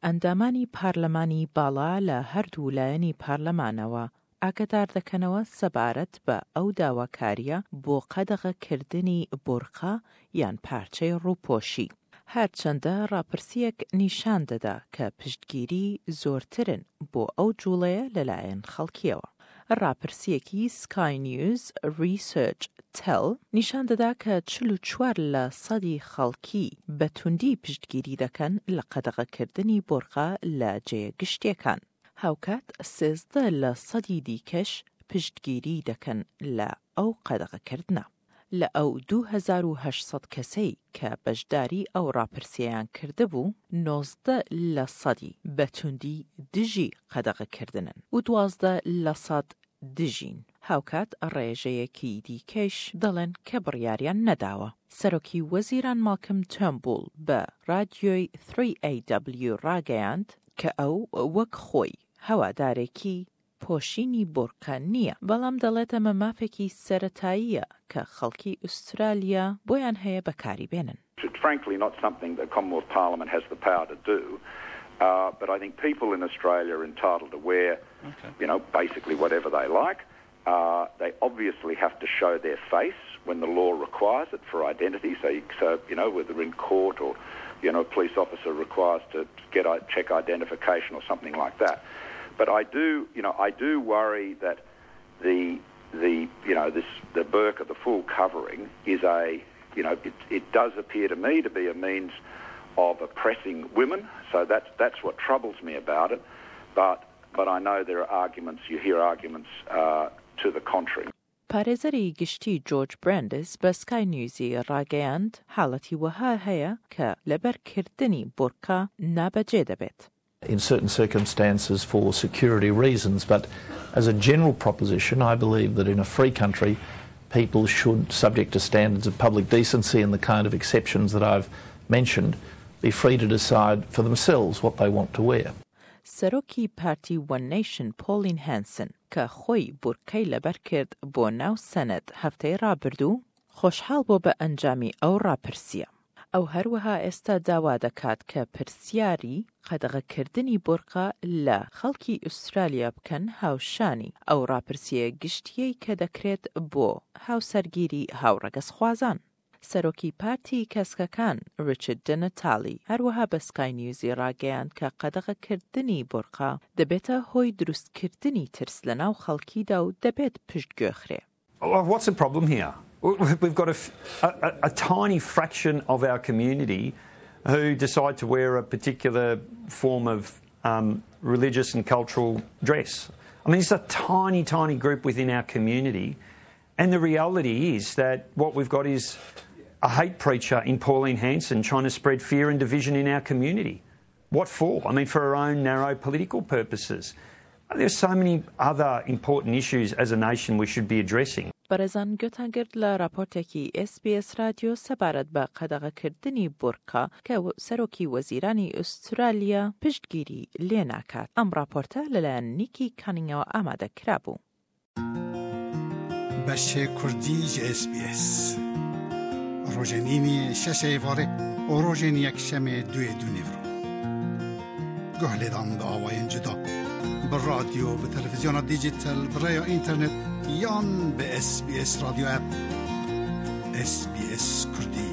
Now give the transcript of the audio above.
ئەندامانی پارلەمانی باڵا لە هەردوو لایەنی پارلەمانەوە ئاگەدار دەکەنەوە سەبارەت بە ئەو داواکارییە بۆ قەدەغەکردنی بورقە یان پارچەی ڕووپۆشی. هەرچەندە ڕاپرسییەک نیشان دەدا کە پشتگیری زۆرترن بۆ ئەو جوڵەیە لەلایەن خەڵکییەوە. ڕاپرسییەکی سکای نیوز ڕیسێرچ تێل نیشان دەدا کە 44 لە سەدی خەڵکی بە توندی پشتگیری دەکەن لە قەدەغەکردنی بۆرقە لە جێیە گشتییەکان. هاوکات 13 لە سەدی دیکەش پشتگیری دەکەن لە ئەو قەدەغەکردنە. لە ئەو 2800 کەسەی کە بەشداری ئەو ڕاپرسییەیان کردبوو، 19 لە سەدی بە توندی دژی قەدەغەکردنن و 12 لە سەد دژین. هاوکات ڕێژەیەکی دیکەیش دەڵێن کە بڕیاریان نەداوە. سەرۆکی وەزیران ماڵکم تێرنبوڵ بە ڕادیۆی 3AW ڕاگەیاند کە ئەو وەک خۆی هەوادارێکی پۆشینی بورقە نییە، بەڵام دەڵێت ئەمە مافێکی سەرەتاییە کە خەڵکی ئوسترالیا بۆیان هەیە بەکاری بێنن. It's frankly not something the Commonwealth Parliament has the power to do, but I think people in Australia are entitled to wear, you know, basically whatever they like. They obviously have to show their face when the law requires it for identity. So, so you know, whether in court or, you know, a police officer requires to get check identification or something like that. But I do, you know, I do worry that the the you know this the burqa, the full covering, is a you know it, it does appear to me to be a means of oppressing women. So that's that's what troubles me about it. But but I know there are arguments. You hear arguments uh, to the contrary. پارێزەری گشتی جۆرج برەندس بە سکای نیوزی ڕاگەیاند، حاڵەتی وەها هەیە کە لەبەرکردنی بورقە نابەجێ دەبێت. In certain circumstances for security reasons, but as a general proposition, I believe that in a free country, people should, subject to standards of public decency and the kind of exceptions that I've mentioned, be free to decide for themselves what they want to wear. سەرۆکی پارتی وەن نەیشن پۆڵین هانسن کە خۆی بورقەی لەبەر کرد بۆ ناو سەنەت هەفتەی ڕابردوو، خۆشحاڵ بووە بە ئەنجامی ئەو ڕاپرسییە. ئەو هەروەها ئێستا داوا دەکات کە پرسیاری قەدەغەکردنی بورقە لە خەڵکی ئوسترالیا بکەن هاوشانی ئەو ڕاپرسییە گشتییەی کە دەکرێت بۆ هاوسەرگیری هاوڕەگەزخوازان. سەرۆکی پارتی کەسکەکان ڕیچارد دنتالی هەروەها بە سکای نیوزی ڕاگەیاند کە قەدەغەکردنی بورقە دەبێتە هۆی دروستکردنی ترس لەناو خەڵکیدا و دەبێت پشتگوێخرێ. What's the problem here? We've got a, a, a tiny fraction of our community who decide to wear a particular form of um, religious and cultural dress. I mean, it's a tiny, tiny group within our community. And the reality is that what we've got is a hate preacher in Pauline Hanson trying to spread fear and division in our community. What for? I mean, for her own narrow political purposes. There's so many other important issues as a nation we should be addressing. بەڕێزان گوێتان گرت لە راپۆرتێکی ئێس بی ئێس رادیۆ سەبارەت بە قەدەغەکردنی بورقە کە سەرۆکی وەزیرانی ئوسترالیا پشتگیری لێ ناکات. ئەم راپۆرتە لەلایەن نیکی کانینگەوە ئامادە کرابوو. بەشێ کوردی ji SBS. Rojên îniyê şeşê êvarê û rojên yekşemê duê du nîvro. Guh lêdan bi awayên cuda. Bi radyo, bi televizyona dîjîtal, bi rêya înternet yan bi SBS Radio app. SBS Kurdî.